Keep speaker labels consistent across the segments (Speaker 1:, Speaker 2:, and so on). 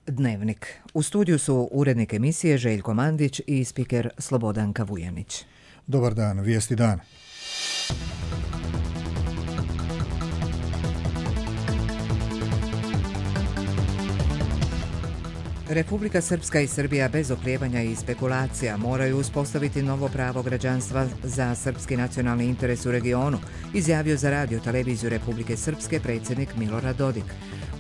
Speaker 1: Dnevnik. U studiju su urednik emisije Željko Mandić i spiker Slobodanka Vujanić.
Speaker 2: Dobar dan, vijesti dan.
Speaker 1: Republika Srpska i Srbija bez oklijevanja i spekulacija moraju uspostaviti novo pravo građanstva za srpski nacionalni interes u regionu, izjavio za radio televiziju Republike Srpske predsjednik Milorad Dodik.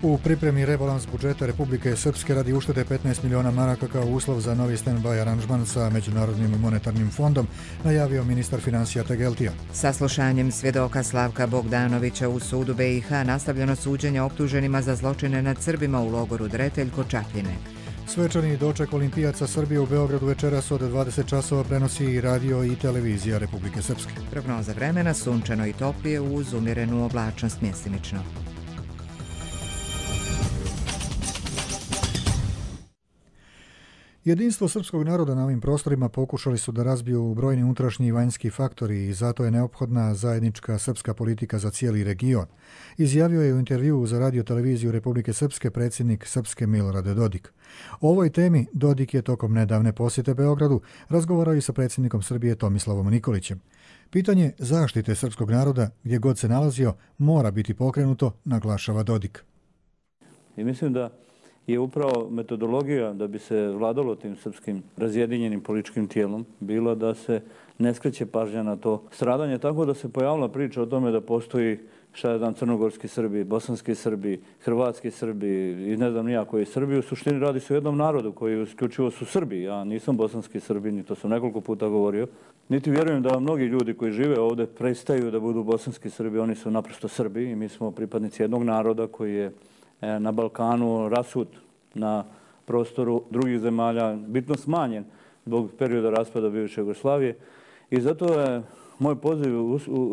Speaker 2: U pripremi rebalans budžeta Republike Srpske radi uštede 15 miliona maraka kao uslov za novi stand-by aranžman sa Međunarodnim monetarnim fondom, najavio ministar financija Tegeltija.
Speaker 1: Saslušanjem svjedoka Slavka Bogdanovića u sudu BiH nastavljeno suđenje optuženima za zločine nad Srbima u logoru Dretelj kod Čapljine.
Speaker 2: Svečani doček olimpijaca Srbije u Beogradu večeras od 20 časova prenosi i radio i televizija Republike Srpske.
Speaker 1: Prognoza vremena sunčano i toplije uz umjerenu oblačnost mjestimično.
Speaker 2: Jedinstvo srpskog naroda na ovim prostorima pokušali su da razbiju brojni unutrašnji i vanjski faktori i zato je neophodna zajednička srpska politika za cijeli region, izjavio je u intervjuu za radio televiziju Republike Srpske predsjednik Srpske Milorad Dodik. O ovoj temi Dodik je tokom nedavne posjete Beogradu razgovarao i sa predsjednikom Srbije Tomislavom Nikolićem. Pitanje zaštite srpskog naroda gdje god se nalazio mora biti pokrenuto, naglašava Dodik.
Speaker 3: I mislim da je upravo metodologija da bi se vladalo tim srpskim razjedinjenim političkim tijelom bila da se ne skreće pažnja na to stradanje, tako da se pojavila priča o tome da postoji crnogorski Srbi, bosanski Srbi, hrvatski Srbi i ne znam nija koji Srbi. U suštini radi se o jednom narodu koji isključivo su Srbi. Ja nisam bosanski Srbin i to sam nekoliko puta govorio. Niti vjerujem da mnogi ljudi koji žive ovdje prestaju da budu bosanski Srbi, oni su naprosto Srbi i mi smo pripadnici jednog naroda koji je na Balkanu rasut na prostoru drugih zemalja, bitno smanjen zbog perioda raspada bivše Jugoslavije. I zato je moj poziv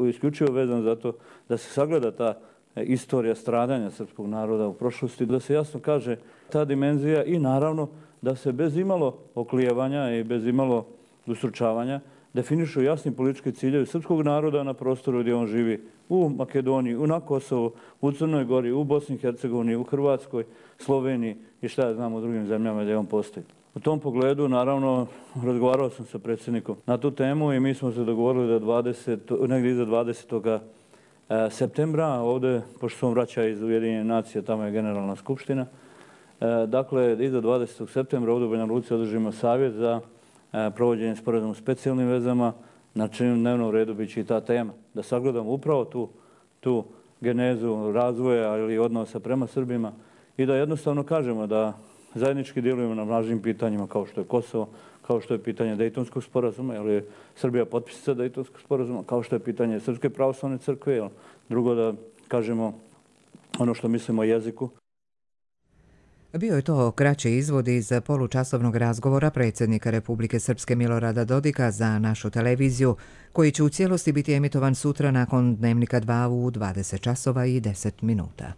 Speaker 3: isključivo vezan za to da se sagleda ta istorija stradanja srpskog naroda u prošlosti, da se jasno kaže ta dimenzija i naravno da se bez imalo oklijevanja i bez imalo ustručavanja definišu jasni politički ciljevi srpskog naroda na prostoru gdje on živi, u Makedoniji, na Kosovu, u Crnoj Gori, u Bosni i Hercegovini, u Hrvatskoj, Sloveniji i šta ja znam u drugim zemljama gdje on postoji. U tom pogledu, naravno, razgovarao sam sa predsjednikom na tu temu i mi smo se dogovorili da negdje iza 20. septembra, ovdje, pošto sam vraća iz Ujedinjenih nacija, tamo je Generalna skupština, dakle, iza 20. septembra ovdje u Banja Luci održimo savjet za provođenje sporazuma u specijalnim vezama, na čijem dnevnom redu bit će i ta tema. Da sagledamo upravo tu genezu razvoja ili odnosa prema Srbima i da jednostavno kažemo da zajednički djelujemo na važnim pitanjima kao što je Kosovo, kao što je pitanje Dejtonskog sporazuma, jer je Srbija potpisnica Dejtonskog sporazuma, kao što je pitanje Srpske pravoslavne crkve, drugo da kažemo ono što mislimo o jeziku.
Speaker 1: Bio je to kraći izvod iz polučasovnog razgovora predsjednika Republike Srpske Milorada Dodika za našu televiziju, koji će u cijelosti biti emitovan sutra nakon Dnevnika 2 u 20 časova i 10 minuta.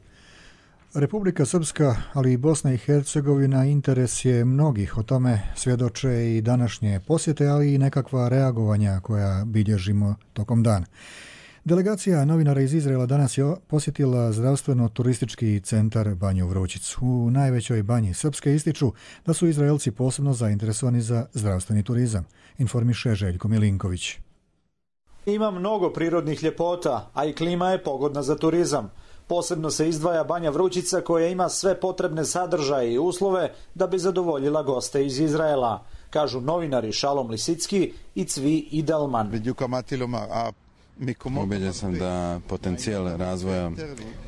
Speaker 2: Republika Srpska, ali i Bosna i Hercegovina interes je mnogih, o tome svjedoče i današnje posjete, ali i nekakva reagovanja koja bilježimo tokom dana. Delegacija novinara iz Izraela danas je posjetila zdravstveno-turistički centar Banju Vrućicu. U najvećoj banji Srpske ističu da su Izraelci posebno zainteresovani za zdravstveni turizam, informiše Željko Milinković.
Speaker 4: Ima mnogo prirodnih ljepota, a i klima je pogodna za turizam. Posebno se izdvaja Banja Vrućica koja ima sve potrebne sadržaje i uslove da bi zadovoljila goste iz Izraela, kažu novinari Šalom Lisicki i Cvi Idelman.
Speaker 5: Ubeđen sam da potencijal razvoja,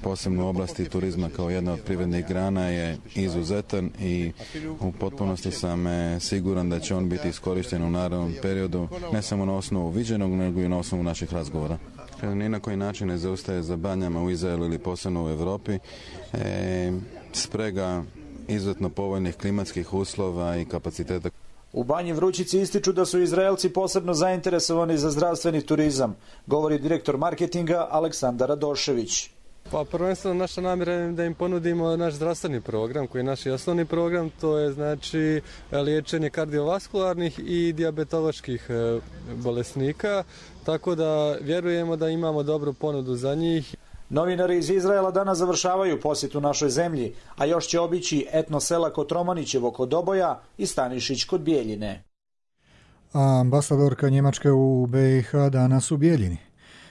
Speaker 5: posebno u oblasti turizma kao jedna od privrednih grana, je izuzetan i u potpunosti sam siguran da će on biti iskorišten u narednom periodu, ne samo na osnovu viđenog, nego i na osnovu naših razgovora. Ni na koji način ne zaustaje za banjama u Izraelu ili posebno u Europi. Sprega izuzetno povoljnih klimatskih uslova i kapaciteta.
Speaker 4: U Banji Vrućici ističu da su Izraelci posebno zainteresovani za zdravstveni turizam, govori direktor marketinga Aleksandar Radošević.
Speaker 6: Pa prvenstveno naša namjera je da im ponudimo naš zdravstveni program, koji je naš osnovni program, to je znači liječenje kardiovaskularnih i dijabetoloških bolesnika, tako da vjerujemo da imamo dobru ponudu za njih.
Speaker 4: Novinari iz Izraela danas završavaju posjetu našoj zemlji, a još će obići etno sela Kotromanićevo kod Oboja i Stanišić kod Bijeljine.
Speaker 2: A ambasadorka Njemačke u BiH danas u Bijeljini.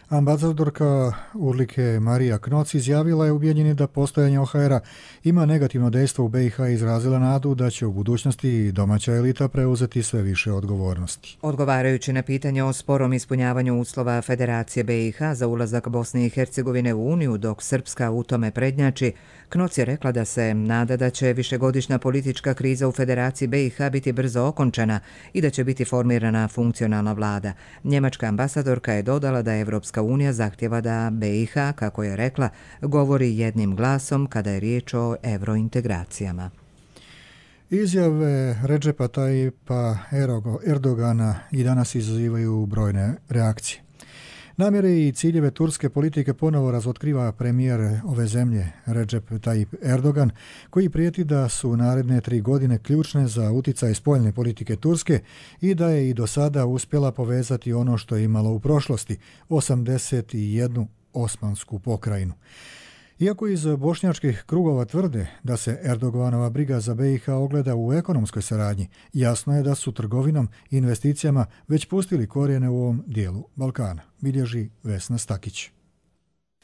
Speaker 2: Ambasadorka Urlike Marija Knoc izjavila je u Bijeljini da postojanje OHR-a ima negativno dejstvo u BiH i izrazila nadu da će u budućnosti domaća elita preuzeti sve više odgovornosti.
Speaker 1: Odgovarajući na pitanje o sporom ispunjavanju uslova Federacije BiH za ulazak Bosne i Hercegovine u Uniju dok Srpska u tome prednjači, Knoc je rekla da se nada da će višegodišnja politička kriza u Federaciji BiH biti brzo okončana i da će biti formirana funkcionalna vlada. Njemačka ambasadorka je dodala da Evropska unija zahtjeva da BiH, kako je rekla, govori jednim glasom kada je riječ o evrointegracijama.
Speaker 2: Izjave Redžepa Tayyipa Erdogana i danas izazivaju brojne reakcije. Namjere i ciljeve turske politike ponovo razotkriva premijer ove zemlje Recep Tayyip Erdogan, koji prijeti da su naredne 3 godine ključne za uticaj spoljne politike Turske i da je i do sada uspjela povezati ono što je imalo u prošlosti, 81 osmansku pokrajinu. Iako iz bošnjačkih krugova tvrde da se Erdoganova briga za BiH ogleda u ekonomskoj saradnji, jasno je da su trgovinom i investicijama već pustili korijene u ovom dijelu Balkana, bilježi Vesna Stakić.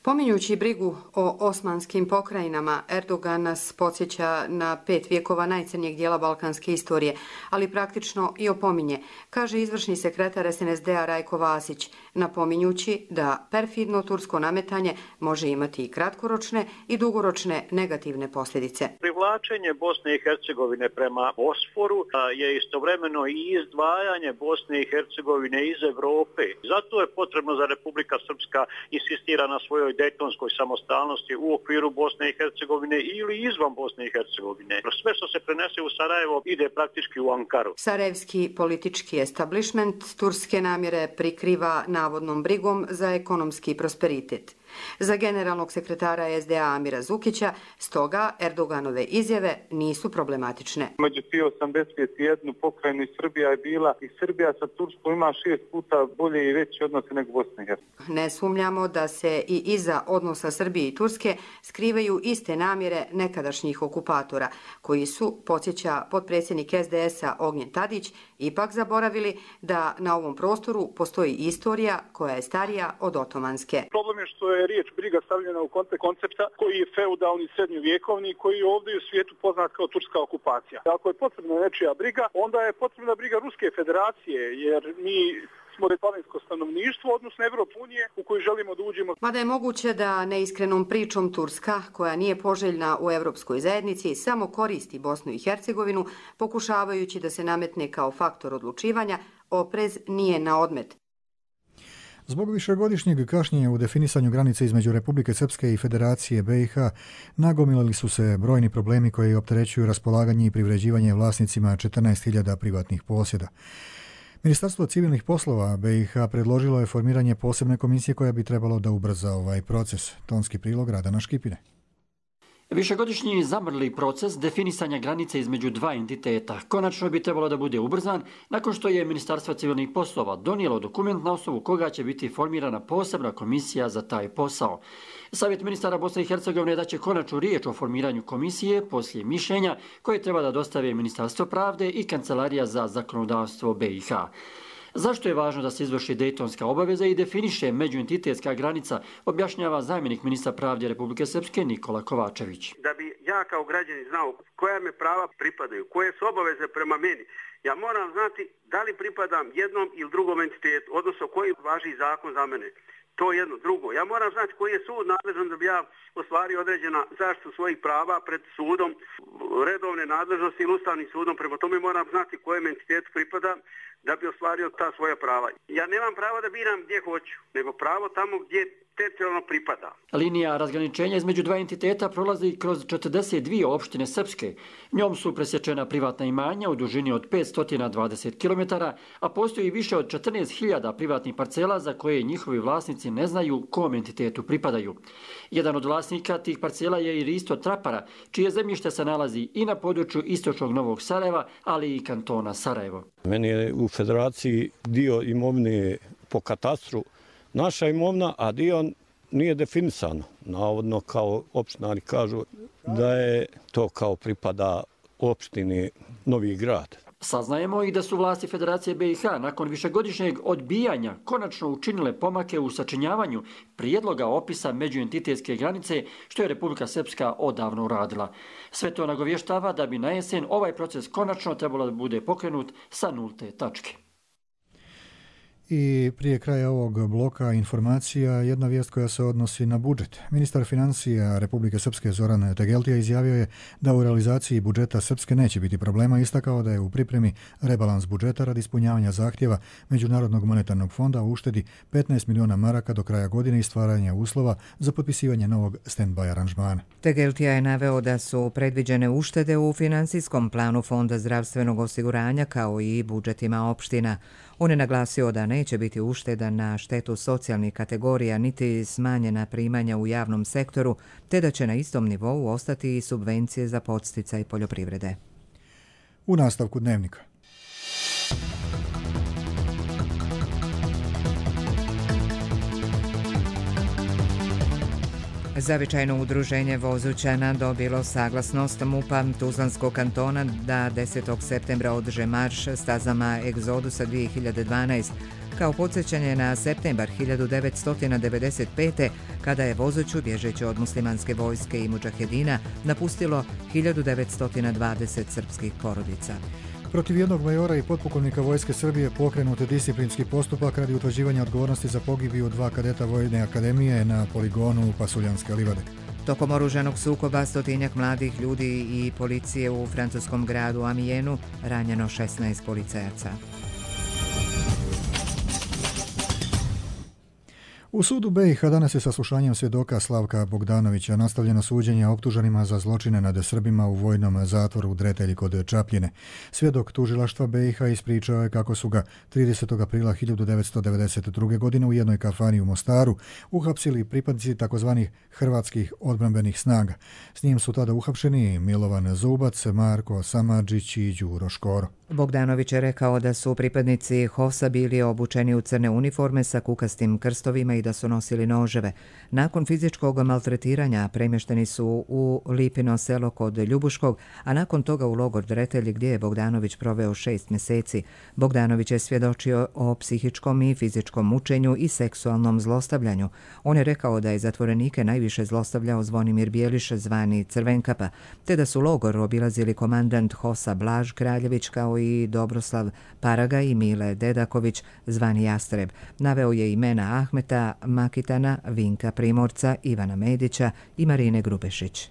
Speaker 7: Pominjući brigu o osmanskim pokrajinama, Erdogan nas podsjeća na 5 vjekova najcrnijeg dijela balkanske istorije, ali praktično i opominje, kaže izvršni sekretar SNSD-a Rajko Vasić, napominjući da perfidno tursko nametanje može imati i kratkoročne i dugoročne negativne posljedice.
Speaker 8: Privlačenje Bosne i Hercegovine prema Bosforu je istovremeno i izdvajanje Bosne i Hercegovine iz Europe. Zato je potrebno za Republika Srpska insistira na svojoj dejtonskoj samostalnosti u okviru Bosne i Hercegovine ili izvan Bosne i Hercegovine. Sve što se prenese u Sarajevo ide praktički u Ankaru.
Speaker 7: Sarajevski politički establishment turske namjere prikriva navodnom brigom za ekonomski prosperitet. Za generalnog sekretara SDA Amira Zukića, stoga Erdoganove izjave nisu problematične.
Speaker 9: Među 81 pokrajinu Srbija je bila i Srbija sa Turskom ima 6 puta bolje i veće odnose nego Bosna i Hercegovina.
Speaker 7: Ne sumnjamo da se i iza odnosa Srbije i Turske skrivaju iste namjere nekadašnjih okupatora, koji su, podsjeća potpredsjednik SDS-a Ognjen Tadić, ipak zaboravili da na ovom prostoru postoji istorija koja je starija od otomanske.
Speaker 10: Problem je što je riječ briga stavljena u kontekst koncepta koji je feudalni srednjovjekovni, koji je ovdje u svijetu poznat kao turska okupacija. Ako je potrebna nečija briga, onda je potrebna briga Ruske federacije, jer mi smo planinsko stanovništvo, odnosno Evropske unije u koju želimo da uđemo.
Speaker 7: Mada je moguće da neiskrenom pričom Turska, koja nije poželjna u Evropskoj zajednici, samo koristi Bosnu i Hercegovinu, pokušavajući da se nametne kao faktor odlučivanja, oprez nije na odmet.
Speaker 2: Zbog višegodišnjeg kašnjenja u definisanju granice između Republike Srpske i Federacije BiH nagomilali su se brojni problemi koji opterećuju raspolaganje i privređivanje vlasnicima 14.000 privatnih posjeda. Ministarstvo civilnih poslova BiH predložilo je formiranje posebne komisije koja bi trebalo da ubrza ovaj proces. Tonski prilog Radana Škipine.
Speaker 11: Višegodišnji zamrli proces definisanja granice između dva entiteta konačno bi trebalo da bude ubrzan nakon što je Ministarstvo civilnih poslova donijelo dokument na osnovu koga će biti formirana posebna komisija za taj posao. Savjet ministara Bosne i Hercegovine daće konačnu riječ o formiranju komisije poslije mišljenja koje treba da dostave Ministarstvo pravde i Kancelarija za zakonodavstvo BiH. Zašto je važno da se izvrši dejtonska obaveza i definiše međuentitetska granica, objašnjava zamjenik ministra pravde Republike Srpske Nikola Kovačević.
Speaker 12: Da bi ja kao građanin znao koja me prava pripadaju, koje su obaveze prema meni, ja moram znati da li pripadam jednom ili drugom entitetu, odnosno koji važi zakon za mene. To je jedno. Drugo, ja moram znati koji je sud nadležan da bi ja ostvario određena zaštitu svojih prava pred sudom, redovne nadležnosti ili ustavnim sudom. Prema tome moram znati kojem entitetu pripadam da bi ostvario ta svoja prava. Ja nemam pravo da biram gdje hoću, nego pravo tamo gdje teritorijalno pripada.
Speaker 11: Linija razgraničenja između dva entiteta prolazi kroz 42 opštine Srpske. Njom su presječena privatna imanja u dužini od 520 km, a postoji više od 14.000 privatnih parcela za koje njihovi vlasnici ne znaju kom entitetu pripadaju. Jedan od vlasnika tih parcela je i Risto Trapara, čije zemljište se nalazi i na području istočnog Novog Sarajeva, ali i kantona Sarajevo.
Speaker 13: Meni je u federaciji dio imovine po katastru naša imovna, a dio nije definisano. Navodno kao opštinari kažu da je to kao pripada opštini Novi Grad.
Speaker 11: Saznajemo i da su vlasti Federacije BiH nakon višegodišnjeg odbijanja konačno učinile pomake u sačinjavanju prijedloga opisa međuentitetske granice, što je Republika Srpska odavno uradila. Sve to nagovještava da bi na jesen ovaj proces konačno trebalo da bude pokrenut sa nulte tačke.
Speaker 2: I prije kraja ovog bloka informacija, jedna vijest koja se odnosi na budžet. Ministar financija Republike Srpske Zoran Tegeltija izjavio je da u realizaciji budžeta Srpske neće biti problema, istakao da je u pripremi rebalans budžeta radi ispunjavanja zahtjeva Međunarodnog monetarnog fonda u uštedi 15 miliona maraka do kraja godine i stvaranja uslova za potpisivanje novog stand-by aranžmana.
Speaker 1: Tegeltija je naveo da su predviđene uštede u financijskom planu Fonda zdravstvenog osiguranja kao i budžetima opština. On je naglasio da neće biti ušteda na štetu socijalnih kategorija niti smanjena primanja u javnom sektoru, te da će na istom nivou ostati i subvencije za podsticaj poljoprivrede.
Speaker 2: U nastavku dnevnika.
Speaker 1: Zavičajno udruženje Vozućana dobilo saglasnost MUP-a Tuzlanskog kantona da 10. septembra održe marš stazama Egzodusa 2012, kao podsjećanje na septembar 1995. kada je Vozuću, bježeći od muslimanske vojske i mudžahedina, napustilo 1920 srpskih porodica.
Speaker 2: Protiv jednog majora i potpukovnika Vojske Srbije pokrenut je disciplinski postupak radi utvrđivanja odgovornosti za pogibiju 2 kadeta Vojne akademije na poligonu Pasuljanske livade.
Speaker 1: Tokom oružanog sukoba 100 mladih ljudi i policije u francuskom gradu Amienu ranjeno 16 policajaca.
Speaker 2: U sudu BiH danas je saslušanjem svjedoka Slavka Bogdanovića nastavljeno suđenje optuženima za zločine nad Srbima u vojnom zatvoru u Dretelji kod Čapljine. Svjedok tužilaštva BiH ispričao je kako su ga 30. aprila 1992. godine u jednoj kafani u Mostaru uhapsili pripadnici takozvanih hrvatskih odbrambenih snaga. S njim su tada uhapšeni Milovan Zubac, Marko Samardžić i Đuro Škoro.
Speaker 1: Bogdanović je rekao da su pripadnici HOS-a bili obučeni u crne uniforme sa kukastim krstovima i da su nosili noževe. Nakon fizičkog maltretiranja premješteni su u Lipino selo kod Ljubuškog, a nakon toga u logor Dretelj gdje je Bogdanović proveo 6 mjeseci. Bogdanović je svjedočio o psihičkom i fizičkom mučenju i seksualnom zlostavljanju. On je rekao da je zatvorenike najviše zlostavljao Zvonimir Bijeliš, zvani Crvenkapa, te da su logor obilazili komandant HOS-a Blaž Kraljević kao i Dobroslav Paraga i Mile Dedaković, zvani Jastreb. Naveo je imena Ahmeta Makitana, Vinka Primorca, Ivana Medića i Marine Grubešić.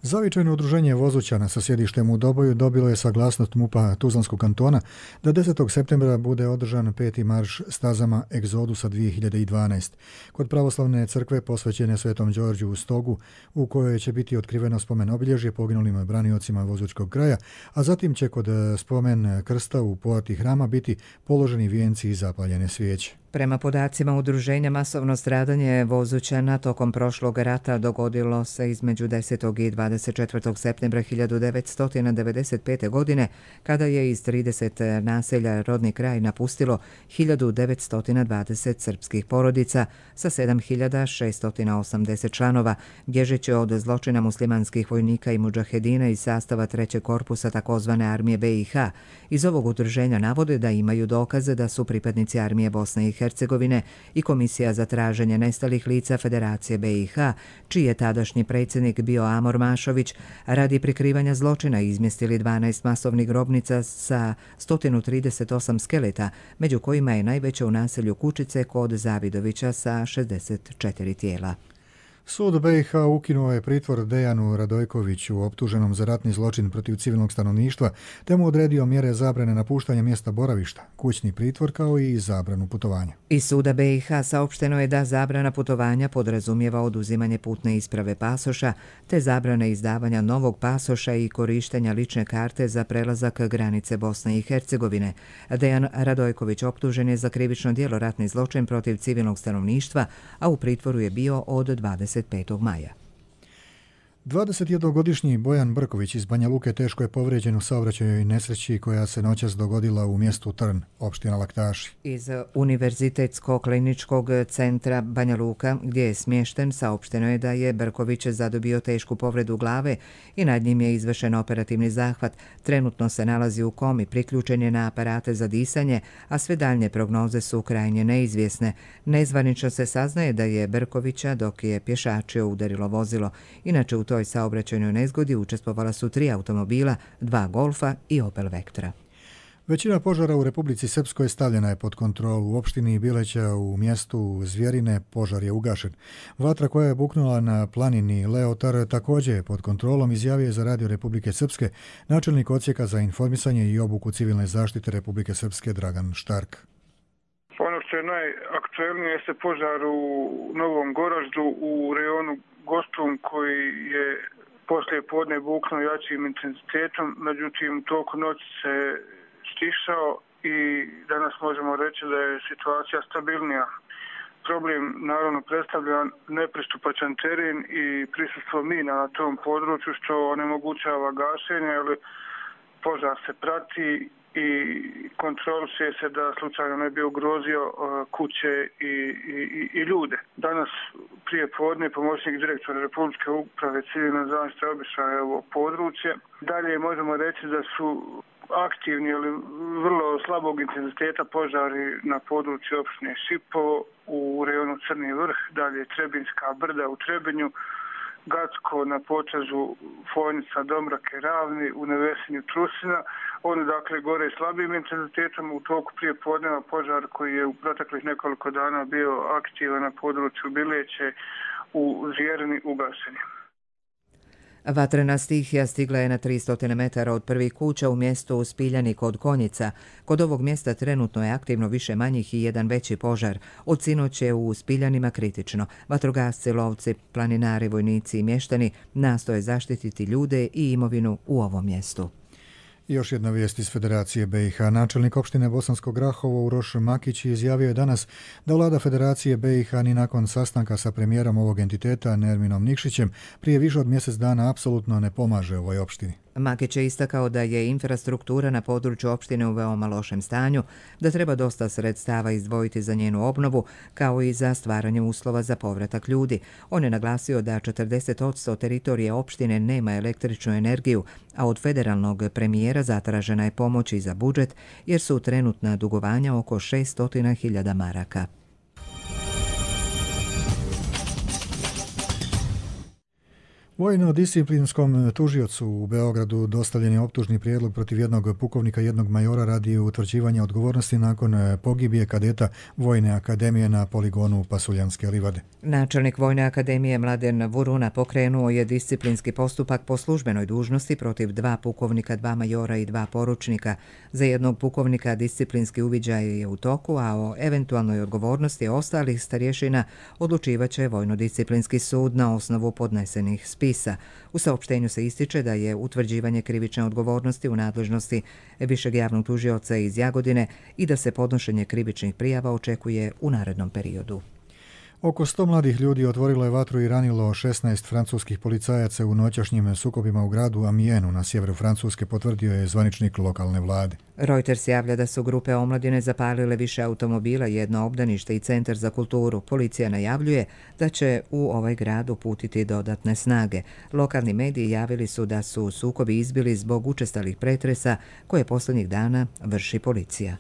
Speaker 2: Zavičajno udruženje Vozućana sa sjedištem u Doboju dobilo je saglasnost MUP-a Tuzlanskog kantona da 10. septembra bude održan 5. marš stazama Egzodusa 2012. Kod pravoslavne crkve posvećene Svetom Đorđu u Stogu, u kojoj će biti otkriveno spomen obilježje poginulim braniocima Vozućkog kraja, a zatim će kod spomen krsta u porti hrama biti položeni vijenci i zapaljene svijeće.
Speaker 1: Prema podacima udruženja, masovno stradanje Vozućana tokom prošlog rata dogodilo se između 10. i 24. septembra 1995. godine, kada je iz 30 naselja rodni kraj napustilo 1920 srpskih porodica sa 7680 članova, bježeći od zločina muslimanskih vojnika i mudžahedina iz sastava 3. korpusa takozvane armije BiH. Iz ovog udruženja navode da imaju dokaze da su pripadnici armije Bosne i Hercegovine i Komisija za traženje nestalih lica Federacije BiH, čiji je tadašnji predsjednik bio Amor Mašović, radi prikrivanja zločina izmjestili 12 masovnih grobnica sa 138 skeleta, među kojima je najveća u naselju Kučice kod Zavidovića sa 64 tijela.
Speaker 2: Sud BiH ukinuo je pritvor Dejanu Radojkoviću optuženom za ratni zločin protiv civilnog stanovništva, te mu odredio mjere zabrane napuštanja mjesta boravišta, kućni pritvor kao i zabranu putovanja.
Speaker 1: Iz suda BiH saopšteno je da zabrana putovanja podrazumijeva oduzimanje putne isprave pasoša, te zabrane izdavanja novog pasoša i korištenja lične karte za prelazak granice Bosne i Hercegovine. Dejan Radojković optužen je za krivično djelo ratni zločin protiv civilnog stanovništva, a u pritvoru je bio od 25. maja.
Speaker 2: 21-godišnji Bojan Brković iz Banja Luke teško je povrijeđen u saobraćajnoj nesreći koja se noćas dogodila u mjestu Trn, opština Laktaši.
Speaker 1: Iz Univerzitetskog kliničkog centra Banja Luka, gdje je smješten, saopšteno je da je Brković zadobio tešku povredu glave i nad njim je izvršen operativni zahvat. Trenutno se nalazi u komi, priključen je na aparate za disanje, a sve daljnje prognoze su krajnje neizvjesne. Nezvanično se saznaje da je Brkovića, dok je pješačio, udarilo vozilo. Inače, u toj saobraćajnoj nezgodi učestvovala su 3 automobila, 2 Golfa i Opel Vectra.
Speaker 2: Većina požara u Republici Srpskoj stavljena je pod kontrolu. U opštini Bileća u mjestu Zvjerine požar je ugašen. Vatra koja je buknula na planini Leotar također je pod kontrolom, izjavio je za Radio Republike Srpske načelnik odsjeka za informisanje i obuku civilne zaštite Republike Srpske Dragan Štark.
Speaker 14: Ono što je najaktuelnije jeste požar u Novom Goraždu u rejonu Gosprum koji je poslije podne buknuo jačim intenzitetom, međutim u toku noći se stišao i danas možemo reći da je situacija stabilnija. Problem naravno predstavlja nepristupačan teren i prisustvo mina na tom području što onemogućava gašenje, ali požar se prati i kontroliše se da slučajno ne bi ugrozio kuće i ljude. Danas prije podne pomoćnik direktora Republičke uprave civilne zaštite obišao je ovo područje. Dalje možemo reći da su aktivni, ali vrlo slabog intenziteta požari na području opštine Šipovo u rejonu Crni vrh, dalje Trebinska brda u Trebinju, Gacko na potezu Fojnica, Domrake, Ravni, u Nevesinju, Trusina. Oni dakle gore slabim intenzitetom u toku prije podneva požar koji je u proteklih nekoliko dana bio aktivan na području Bileće u Zvjerini ugašen.
Speaker 1: Vatrena stihija stigla je na 300 metara od prvih kuća u mjestu Spiljani kod Konjica. Kod ovog mjesta trenutno je aktivno više manjih i jedan veći požar. Od sinoć je u Spiljanima kritično. Vatrogasci, lovci, planinari, vojnici i mještani nastoje zaštititi ljude i imovinu u ovom mjestu.
Speaker 2: Još jedna vijest iz Federacije BiH. Načelnik opštine Bosansko Grahovo Uroš Makić izjavio je danas da vlada Federacije BiH ni nakon sastanka sa premijerom ovog entiteta Nerminom Nikšićem prije više od mjesec dana apsolutno ne pomaže ovoj opštini.
Speaker 1: Makić je istakao da je infrastruktura na području opštine u veoma lošem stanju, da treba dosta sredstava izdvojiti za njenu obnovu, kao i za stvaranje uslova za povratak ljudi. On je naglasio da 40% teritorije opštine nema električnu energiju, a od federalnog premijera zatražena je pomoć i za budžet, jer su trenutna dugovanja oko 600.000 maraka.
Speaker 2: Vojno-disciplinskom tužiocu u Beogradu dostavljen je optužni prijedlog protiv jednog pukovnika i jednog majora radi utvrđivanja odgovornosti nakon pogibije kadeta Vojne akademije na poligonu Pasuljanske livade.
Speaker 1: Načelnik Vojne akademije Mladen Vuruna pokrenuo je disciplinski postupak po službenoj dužnosti protiv 2 pukovnika, 2 majora i 2 poručnika. Za jednog pukovnika disciplinski uviđaj je u toku, a o eventualnoj odgovornosti ostalih starješina odlučivaće Vojno-disciplinski sud na osnovu podnesenih spisa. U saopštenju se ističe da je utvrđivanje krivične odgovornosti u nadležnosti višeg javnog tužioca iz Jagodine i da se podnošenje krivičnih prijava očekuje u narednom periodu.
Speaker 2: Oko 100 mladih ljudi otvorilo je vatru i ranilo 16 francuskih policajaca u noćašnjim sukobima u gradu Amienu na sjeveru Francuske, potvrdio je zvaničnik lokalne vlade.
Speaker 1: Reuters javlja da su grupe omladine zapalile više automobila, jedno obdanište i centar za kulturu. Policija najavljuje da će u ovaj grad uputiti dodatne snage. Lokalni mediji javili su da su sukobi izbili zbog učestalih pretresa koje posljednjih dana vrši policija.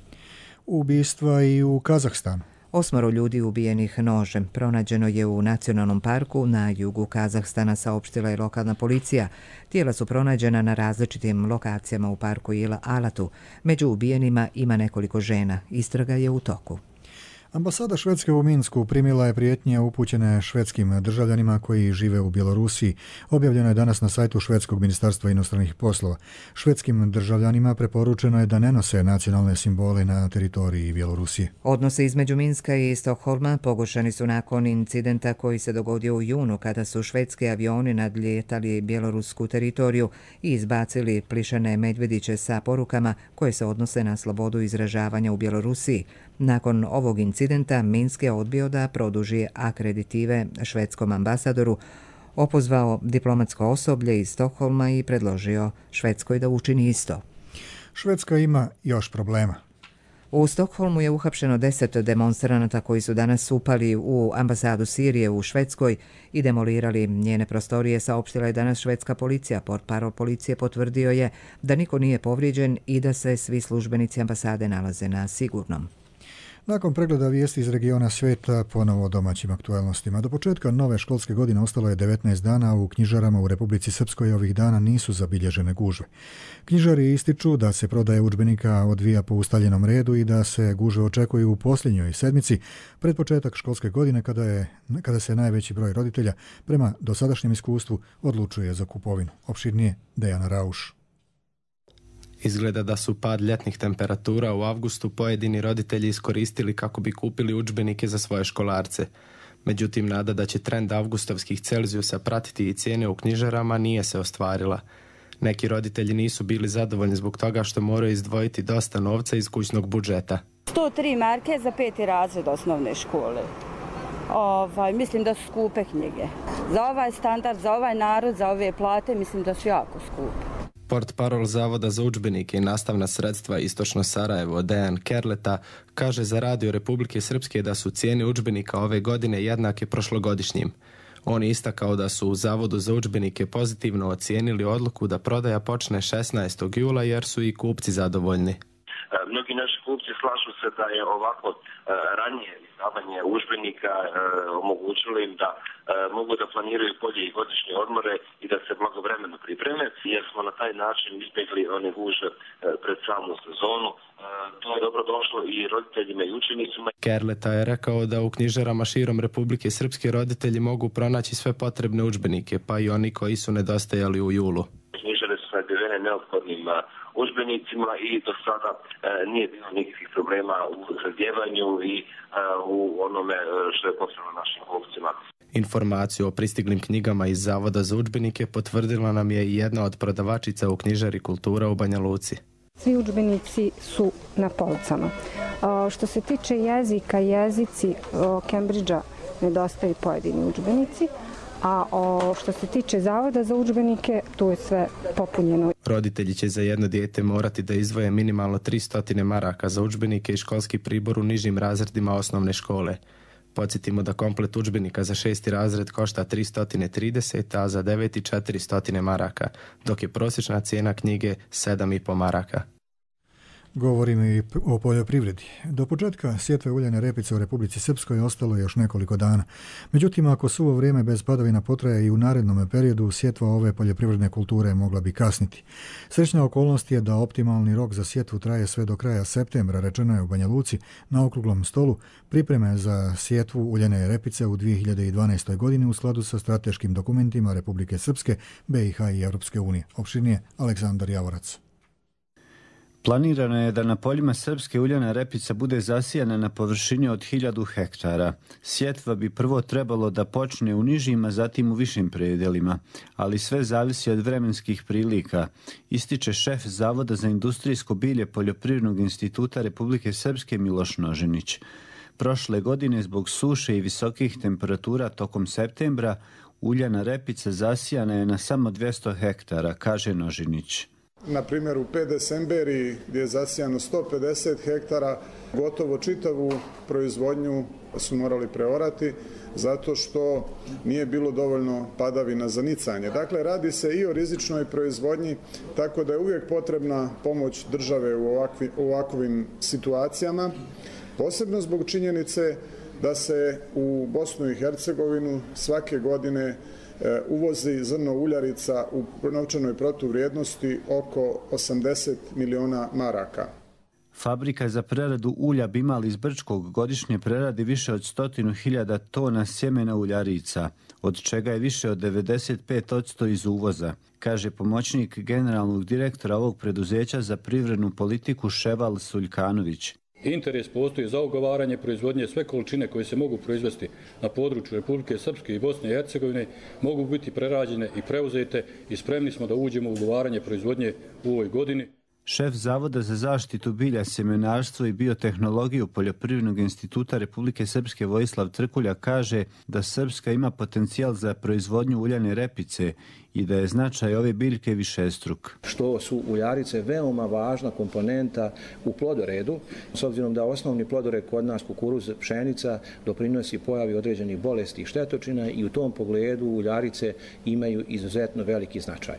Speaker 2: Ubistva i u Kazahstanu.
Speaker 1: 8 ljudi ubijenih nožem pronađeno je u nacionalnom parku na jugu Kazahstana, saopštila je lokalna policija. Tijela su pronađena na različitim lokacijama u parku Ila Alatu. Među ubijenima ima nekoliko žena. Istraga je u toku.
Speaker 2: Ambasada Švedske u Minsku primila je prijetnje upućene švedskim državljanima koji žive u Bjelorusiji. Objavljeno je danas na sajtu Švedskog ministarstva inostranih poslova. Švedskim državljanima preporučeno je da ne nose nacionalne simbole na teritoriji Bjelorusije.
Speaker 1: Odnose između Minska i Stokholma pogoršani su nakon incidenta koji se dogodio u junu kada su švedski avioni nadlijetali bjelorusku teritoriju i izbacili plišane medvjediće sa porukama koje se odnose na slobodu izražavanja u Bjelorusiji. Nakon ovog incidenta Minsk je odbio da produži akreditive švedskom ambasadoru opozvao diplomatsko osoblje iz Stokholma i predložio Švedskoj da učini isto.
Speaker 2: Švedska ima još problema.
Speaker 1: U Stokholmu je uhapšeno 10 demonstranata koji su danas upali u ambasadu Sirije u Švedskoj i demolirali njene prostorije, saopštila je danas švedska policija. Portparol policije potvrdio je da niko nije povrijeđen i da se svi službenici ambasade nalaze na sigurnom.
Speaker 2: Nakon pregleda vijesti iz regiona svijeta, ponovo o domaćim aktualnostima. Do početka nove školske godine ostalo je 19 dana, a u knjižarama u Republici Srpskoj ovih dana nisu zabilježene gužve. Knjižari ističu da se prodaja udžbenika odvija po ustaljenom redu i da se gužve očekuju u posljednjoj sedmici pred početak školske godine kada se najveći broj roditelja prema dosadašnjem iskustvu odlučuje za kupovinu. Opširnije Dejana Rauš.
Speaker 15: Izgleda da su pad ljetnih temperatura u avgustu pojedini roditelji iskoristili kako bi kupili udžbenike za svoje školarce. Međutim, nada da će trend avgustovskih Celzijusa pratiti i cijene u knjižarama nije se ostvarila. Neki roditelji nisu bili zadovoljni zbog toga što moraju izdvojiti dosta novca iz kućnog budžeta.
Speaker 16: 103 marke za 5. razred osnovne škole. Mislim da su skupe knjige. Za ovaj standard, za ovaj narod, za ove plate, mislim da su jako skupe.
Speaker 15: Portparol Zavoda za udžbenike i nastavna sredstva Istočno Sarajevo, Dejan Kerleta, kaže za Radio Republike Srpske da su cijene udžbenika ove godine jednake prošlogodišnjim. On je istakao da su u Zavodu za udžbenike pozitivno ocijenili odluku da prodaja počne 16. jula jer su i kupci zadovoljni.
Speaker 17: Mnogi naši kupci slažu se da je ovako ranije izdavanje udžbenika omogućilo im da mogu da planiraju bolje i godišnje odmore i da se blagovremeno pripreme, jer smo na taj način izbjegli one gužve pred samu sezonu. To je dobro došlo i roditeljima i učenicima.
Speaker 15: Kerleta je rekao da u knjižarama širom Republike Srpske roditelji mogu pronaći sve potrebne udžbenike, pa i oni koji su nedostajali u julu.
Speaker 17: Knjižare su snabdjevene neophodnim udžbenicima i do sada nije bilo nikakvih problema u zadjevanju i u onome što je potrebno našim kupcima.
Speaker 15: Informaciju o pristiglim knjigama iz Zavoda za udžbenike potvrdila nam je i jedna od prodavačica u knjižari Kultura u Banja Luci.
Speaker 18: Svi udžbenici su na policama. Što se tiče jezika, jezici Cambridgea nedostaju pojedini udžbenici, a što se tiče Zavoda za udžbenike, tu je sve popunjeno.
Speaker 15: Roditelji će za jedno dijete morati da izdvoje minimalno 300 maraka za udžbenike i školski pribor u nižim razredima osnovne škole. Podsjetimo da komplet udžbenika za 6. razred košta 330, a za 9. 400 maraka, dok je prosječna cijena knjige 7,5 maraka.
Speaker 2: Govorimo i o poljoprivredi. Do početka sjetve uljane repice u Republici Srpskoj ostalo je još nekoliko dana. Međutim, ako suvo vrijeme bez padavina potraje i u narednom periodu, sjetva ove poljoprivredne kulture mogla bi kasniti. Srećna okolnost je da optimalni rok za sjetvu traje sve do kraja septembra, rečeno je u Banja Luci na okruglom stolu pripreme za sjetvu uljane repice u 2012. godini u skladu sa strateškim dokumentima Republike Srpske, BiH i Europske unije. Opširnije Aleksandar Javorac.
Speaker 19: Planirano je da na poljima srpske uljana repica bude zasijana na površini od 1000 hektara. Sjetva bi prvo trebalo da počne u nižim, a zatim u višim predelima, ali sve zavisi od vremenskih prilika, ističe šef Zavoda za industrijsko bilje Poljoprivrednog instituta Republike Srpske Miloš Noženić. Prošle godine zbog suše i visokih temperatura tokom septembra uljana repica zasijana je na samo 200 hektara, kaže Noženić.
Speaker 20: Na primjer u Pedesemberi gdje je zasijano 150 hektara, gotovo čitavu proizvodnju su morali preorati zato što nije bilo dovoljno padavina za nicanje. Dakle, radi se i o rizičnoj proizvodnji, tako da je uvijek potrebna pomoć države u ovakvim situacijama, posebno zbog činjenice da se u Bosnu i Hercegovinu svake godine uvozi zrno uljarica u novčanoj protuvrijednosti oko 80 miliona maraka.
Speaker 19: Fabrika za preradu ulja Bimal iz Brčkog godišnje preradi više od 100.000 tona sjemena uljarica, od čega je više od 95% iz uvoza, kaže pomoćnik generalnog direktora ovog preduzeća za privrednu politiku Ševal Suljkanović.
Speaker 21: Interes postoji za ugovaranje proizvodnje, sve količine koje se mogu proizvesti na području Republike Srpske i Bosne i Hercegovine mogu biti prerađene i preuzete i spremni smo da uđemo u ugovaranje proizvodnje u ovoj godini.
Speaker 19: Šef Zavoda za zaštitu bilja, sjemenarstvo i biotehnologiju Poljoprivrednog instituta Republike Srpske Vojislav Trkulja kaže da Srpska ima potencijal za proizvodnju uljane repice i da je značaj ove biljke višestruk.
Speaker 3: Što su uljarice veoma važna komponenta u plodoredu, s obzirom da osnovni plodored kod nas, kukuruz, pšenica, doprinosi pojavi određenih bolesti i štetočina i u tom pogledu uljarice imaju izuzetno veliki značaj.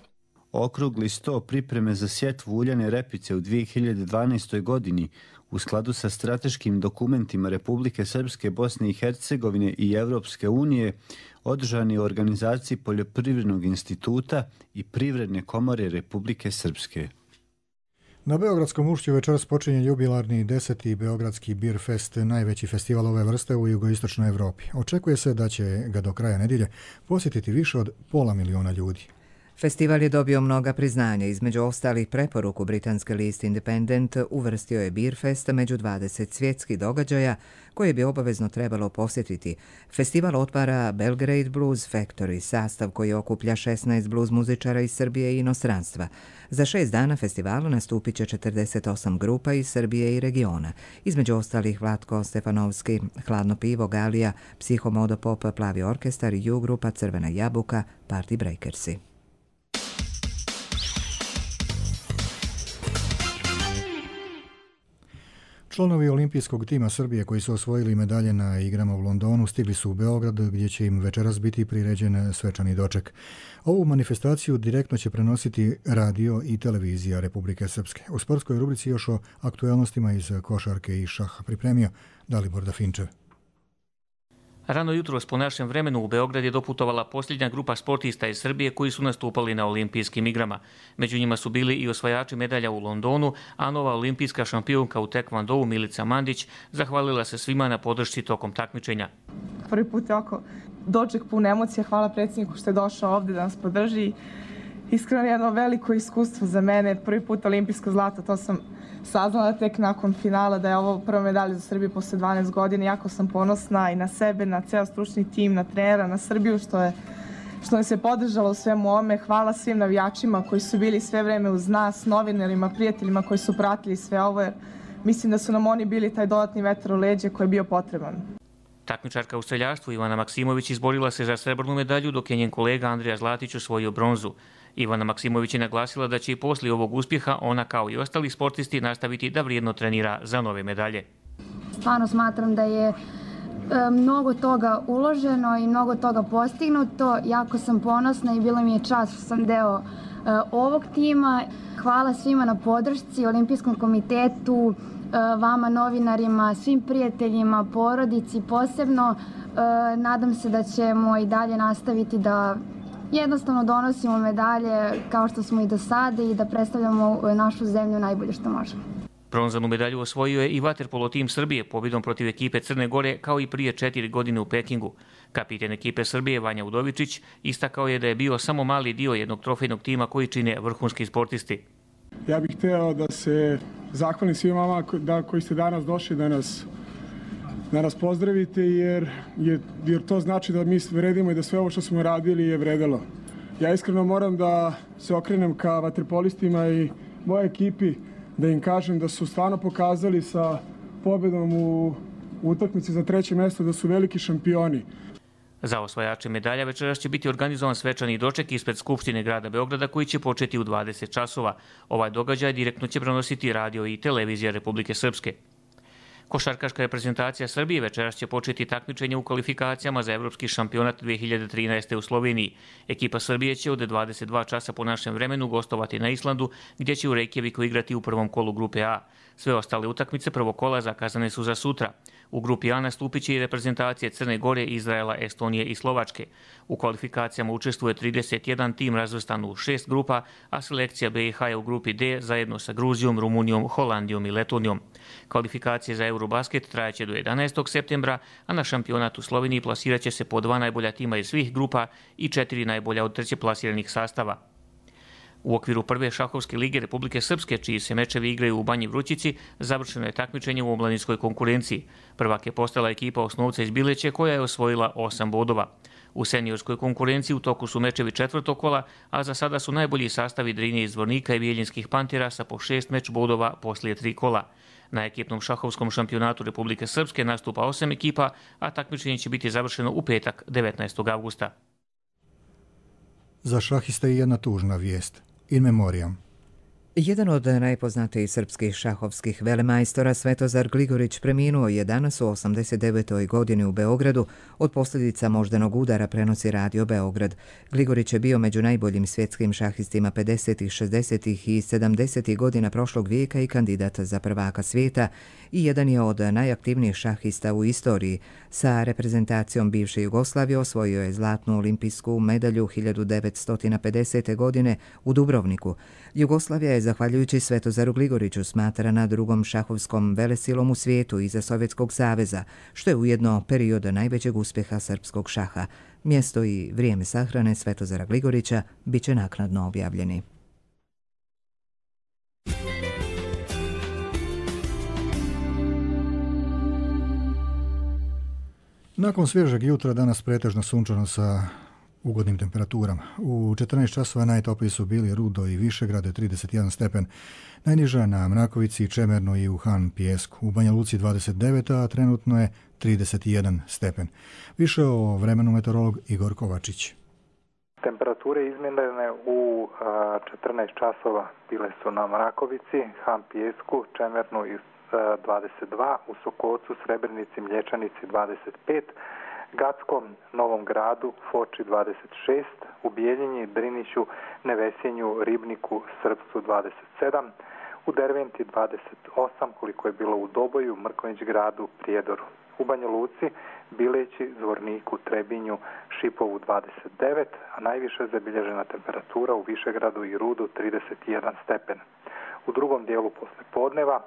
Speaker 19: Okrugli sto pripreme za sjetvu uljane repice u 2012. godini u skladu sa strateškim dokumentima Republike Srpske, Bosne i Hercegovine i Evropske unije održan je u organizaciji Poljoprivrednog instituta i Privredne komore Republike Srpske.
Speaker 2: Na Beogradskom ušću večeras počinje jubilarni 10. Beogradski Beer Fest, najveći festival ove vrste u jugoistočnoj Evropi. Očekuje se da će ga do kraja nedjelje posjetiti više od 500.000 ljudi.
Speaker 1: Festival je dobio mnoga priznanja, između ostalih preporuku britanske liste Independent uvrstio je Beer Fest među 20 svjetskih događaja koje bi obavezno trebalo posjetiti. Festival otvara Belgrade Blues Factory, sastav koji okuplja 16 blues muzičara iz Srbije i inostranstva. Za 6 dana festivala nastupit će 48 grupa iz Srbije i regiona, između ostalih Vlatko Stefanovski, Hladno pivo, Galija, Psihomodopop, Plavi orkestar, U grupa, Crvena jabuka, Party Breakersi.
Speaker 2: Članovi olimpijskog tima Srbije koji su osvojili medalje na igrama u Londonu stigli su u Beograd gdje će im večeras biti priređen svečani doček. Ovu manifestaciju direktno će prenositi radio i televizija Republike Srpske. U sportskoj rubrici još o aktuelnostima iz košarke i šaha pripremio Dalibor Dafinčev.
Speaker 22: Rano jutros po našem vremenu u Beograd je doputovala posljednja grupa sportista iz Srbije koji su nastupali na olimpijskim igrama. Među njima su bili i osvajači medalja u Londonu, a nova olimpijska šampionka u tekvondou Milica Mandić zahvalila se svima na podršci tokom takmičenja.
Speaker 23: Prvi put je oko doček pun emocija. Hvala predsjedniku što je došao ovdje da nas podrži. Iskreno jedno veliko iskustvo za mene. Prvi put olimpijsko zlato, to sam saznala tek nakon finala da je ovo prva medalja za Srbiju posle 12 godina. Jako sam ponosna i na sebe, na ceo stručni tim, na trenera, na Srbiju što nas je podržalo u svemu ovome. Hvala svim navijačima koji su bili sve vreme uz nas, novinarima, prijateljima koji su pratili sve ovo, jer mislim da su nam oni bili taj dodatni vetar u leđe koji je bio potreban.
Speaker 22: Takmičarka u streljaštvu Ivana Maksimović izborila se za srebrnu medalju, dok je njen kolega Andrija Zlatić osvojio bronzu. Ivana Maksimović je naglasila da će i poslije ovog uspjeha ona kao i ostali sportisti nastaviti da vrijedno trenira za nove medalje.
Speaker 24: Stvarno smatram da je mnogo toga uloženo i mnogo toga postignuto. Jako sam ponosna i bilo mi je čast što sam deo ovog tima. Hvala svima na podršci, Olimpijskom komitetu, vama novinarima, svim prijateljima, porodici posebno. Nadam se da ćemo i dalje nastaviti da jednostavno donosimo medalje kao što smo i do sada i da predstavljamo našu zemlju najbolje što možemo.
Speaker 22: Bronzanu medalju osvojio je i vaterpolo tim Srbije pobjedom protiv ekipe Crne Gore kao i prije 4 godine u Pekingu. Kapiten ekipe Srbije Vanja Udovičić istakao je da je bio samo mali dio jednog trofejnog tima koji čine vrhunski sportisti.
Speaker 25: Ja bih hteo da se zahvalim svim vama koji ste danas došli da nas pozdravite jer to znači da mi vredimo i da sve ovo što smo radili je vredelo. Ja iskreno moram da se okrenem ka vaterpolistima i moje ekipi da im kažem da su stvarno pokazali sa pobjedom u utakmici za 3. mjesto da su veliki šampioni.
Speaker 22: Za osvajače medalja večeras će biti organizovan svečani doček ispred Skupštine grada Beograda koji će početi u 20 časova. Ovaj događaj direktno će prenositi radio i televizija Republike Srpske. Košarkaška reprezentacija Srbije večeras će početi takmičenje u kvalifikacijama za Evropski šampionat 2013. u Sloveniji. Ekipa Srbije će od 22 časa po našem vremenu gostovati na Islandu, gdje će u Reykjaviku igrati u prvom kolu grupe A. Sve ostale utakmice prvog kola zakazane su za sutra. U grupi A nastupit će i reprezentacije Crne Gore, Izraela, Estonije i Slovačke. U kvalifikacijama učestvuje 31 tim razvrstan u 6 grupa, a selekcija BiH je u grupi D zajedno sa Gruzijom, Rumunijom, Holandijom i Letonijom. Kvalifikacije za Eurobasket trajaće do 11. septembra, a na šampionat u Sloveniji plasirat će se po 2 najbolja tima iz svih grupa i 4 najbolja od treće plasiranih sastava. U okviru prve šahovske lige Republike Srpske, čiji se mečevi igraju u Banji Vrućici, završeno je takmičenje u omladinskoj konkurenciji. Prvak je postala ekipa Osnovca iz Bileće koja je osvojila 8 bodova. U seniorskoj konkurenciji u toku su mečevi četvrtog kola, a za sada su najbolji sastavi Drinje iz Zvornika i Bijeljinskih Pantera sa po 6 meč bodova poslije 3 kola. Na ekipnom šahovskom šampionatu Republike Srpske nastupa 8 ekipa, a takmičenje će biti završeno u petak 19. avgusta.
Speaker 2: Za šahiste i jedna tužna vijest. In memoriam.
Speaker 1: Jedan od najpoznatijih srpskih šahovskih velemajstora Svetozar Gligorić preminuo je danas u 89. godini u Beogradu od posljedica moždanog udara, prenosi Radio Beograd. Gligorić je bio među najboljim svjetskim šahistima 50., 60. i 70. godina prošlog vijeka i kandidat za prvaka svijeta i jedan je od najaktivnijih šahista u istoriji. Sa reprezentacijom bivše Jugoslavije osvojio je zlatnu olimpijsku medalju 1950. godine u Dubrovniku. Jugoslavija je zahvaljujući Svetozaru Gligoriću smatrana drugom šahovskom velesilom u svijetu iza Sovjetskog saveza, što je ujedno period najvećeg uspjeha srpskog šaha. Mjesto i vrijeme sahrane Svetozara Gligorića bit će naknadno objavljeni.
Speaker 2: Nakon svježeg jutra danas pretežno sunčano sa ugodnim temperaturama. U 14 časova najtopliji su bili Rudo i Višegrade 31 stepen, najniža na Mrakovici, Čemernu i u Han Pijesku. U Banja Luci 29, a trenutno je 31 stepen. Više o vremenu meteorolog Igor Kovačić.
Speaker 4: Temperature izmjerene u 14 časova bile su na Mrakovici, Han Pijesku, Čemernu i 22, u Sokocu, Srebrenici, Mlječanici 25, Gackom, Novom Gradu, Foči 26, u Bijeljini, Driniću, Nevesjenju, Ribniku, Srpcu 27, u Derventi 28, koliko je bilo u Doboju, Mrkonjić Gradu, Prijedoru. U Banja Luci, Bileći, Zvorniku, Trebinju, Šipovu 29, a najviše zabilježena temperatura u Višegradu i Rudu 31 stepen. U drugom dijelu poslijepodneva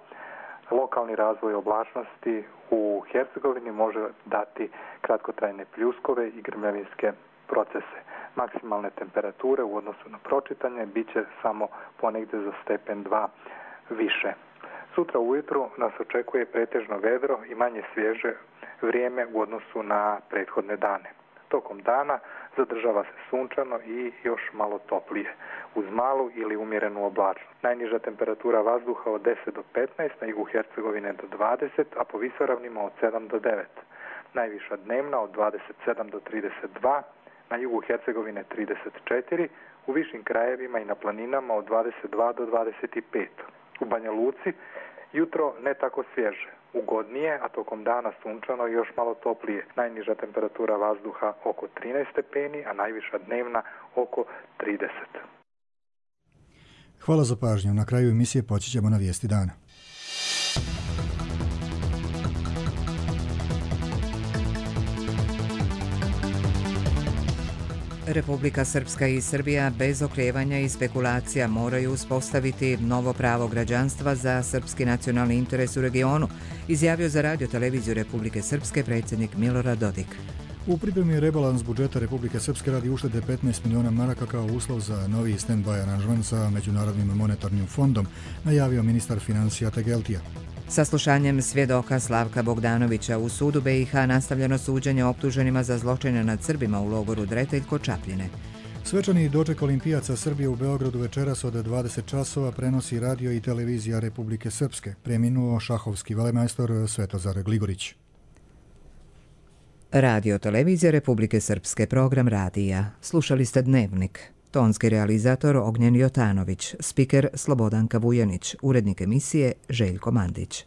Speaker 4: lokalni razvoj oblačnosti u Hercegovini može dati kratkotrajne pljuskove i grmljavinske procese. Maksimalne temperature u odnosu na pročitanje bit će samo ponegdje za stepen 2 više. Sutra ujutru nas očekuje pretežno vedro i manje svježe vrijeme u odnosu na prethodne dane. Tokom dana zadržava se sunčano i još malo toplije, uz malu ili umjerenu oblačnost. Najniža temperatura vazduha od 10 do 15, na jugu Hercegovine do 20, a po visoravnima od 7 do 9. Najviša dnevna od 27 do 32, na jugu Hercegovine 34, u višim krajevima i na planinama od 22 do 25. U Banja Luci jutro ne tako svježe, ugodnije, a tokom dana sunčano i još malo toplije. Najniža temperatura vazduha oko 13 stepeni, a najviša dnevna oko 30.
Speaker 2: Hvala za pažnju. Na kraju emisije poći ćemo na vijesti dana.
Speaker 1: Republika Srpska i Srbija bez oklijevanja i spekulacija moraju uspostaviti novo pravo građanstva za srpski nacionalni interes u regionu, izjavio za Radio televiziju Republike Srpske predsjednik Milorad Dodik.
Speaker 2: U pripremi je rebalans budžeta Republike Srpske radi uštede 15 miliona maraka kao uslov za novi stand-by aranžman sa Međunarodnim monetarnim fondom, najavio ministar financija Tegeltija.
Speaker 1: Saslušanjem svjedoka Slavka Bogdanovića u sudu BiH nastavljeno suđenje optuženima za zločine nad Srbima u logoru Dretelj kod Čapljine.
Speaker 2: Svečani doček olimpijaca Srbije u Beogradu večeras od 20 časova prenosi radio i televizija Republike Srpske. Preminuo šahovski velemajstor Svetozar Gligorić.
Speaker 1: Radio televizija Republike Srpske, program radija. Slušali ste Dnevnik. Tonski realizator Ognjen Jotanović, spiker Slobodanka Vujanić, urednik emisije Željko Mandić.